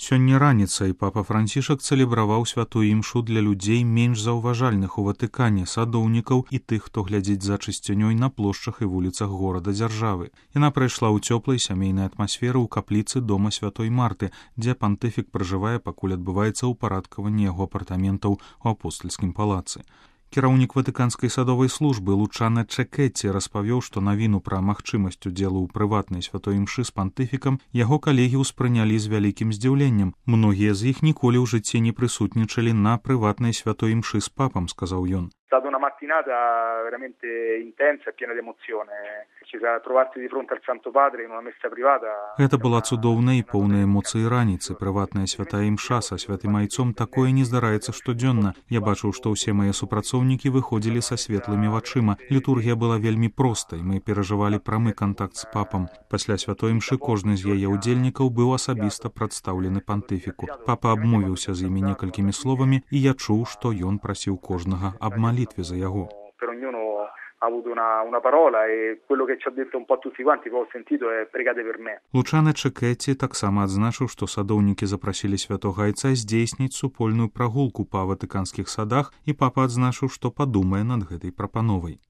Сёння раніцай папа Францішак цэлебраваў святую імшу для людзей менш заўважальных у Ватыкане, садоўнікаў і тых, хто глядзіць за чысцінёй на плошчах і вуліцах горада-дзяржавы. Яна прайшла ў цёплай сямейнай атмасферы ў капліцы дома святой Марты, дзе пантыфік пражывае, пакуль адбываецца ўпарадкаванне яго апартаментаў у апостальскім палацы. Кіраўнік ватыканскай садовай службы Лучана Чекетці распавёў, што навіну пра магчымасць удзелу ў прыватнай святой імшы з пантыфікам яго калегі ўспрынялі з вялікім здзіўленнем. Многія з іх ніколі ў жыцці не прысутнічалі на прыватнай святой імшы з папам, сказаў ён. È stata una mattinata veramente intensa e piena di emozione. Ci siamo trovati di fronte al Santo Padre in una messa privata. Гэта была цудоўная і поўная эмоцый раніцы. Прыватная святая імша са святым айцом такое не здараецца штодзённа. Я бачыў, што ўсе мае супрацоўнікі выходзілі са светлымі вачыма. Літургія была вельмі простай. Мы перажывалі прамы кантакт з папам. Пасля святой імшы кожны з яе удзельнікаў быў асабіста прадстаўлены пантыфіку. Папа абмовіўся з імі некалькімі словамі, і я чуў, што ён прасіў кожнага аб малітве за яго. Per ognuno ha avuto una parola e quello che ci ha detto un po' tutti quanti che ho sentito è pregate per me. Лучана Чекетці таксама адзначыў, што садоўнікі запрасілі святога айца здзейсніць супольную прагулку па ватыканскіх садах, і папа адзначыў, што падумае над гэтай прапановай.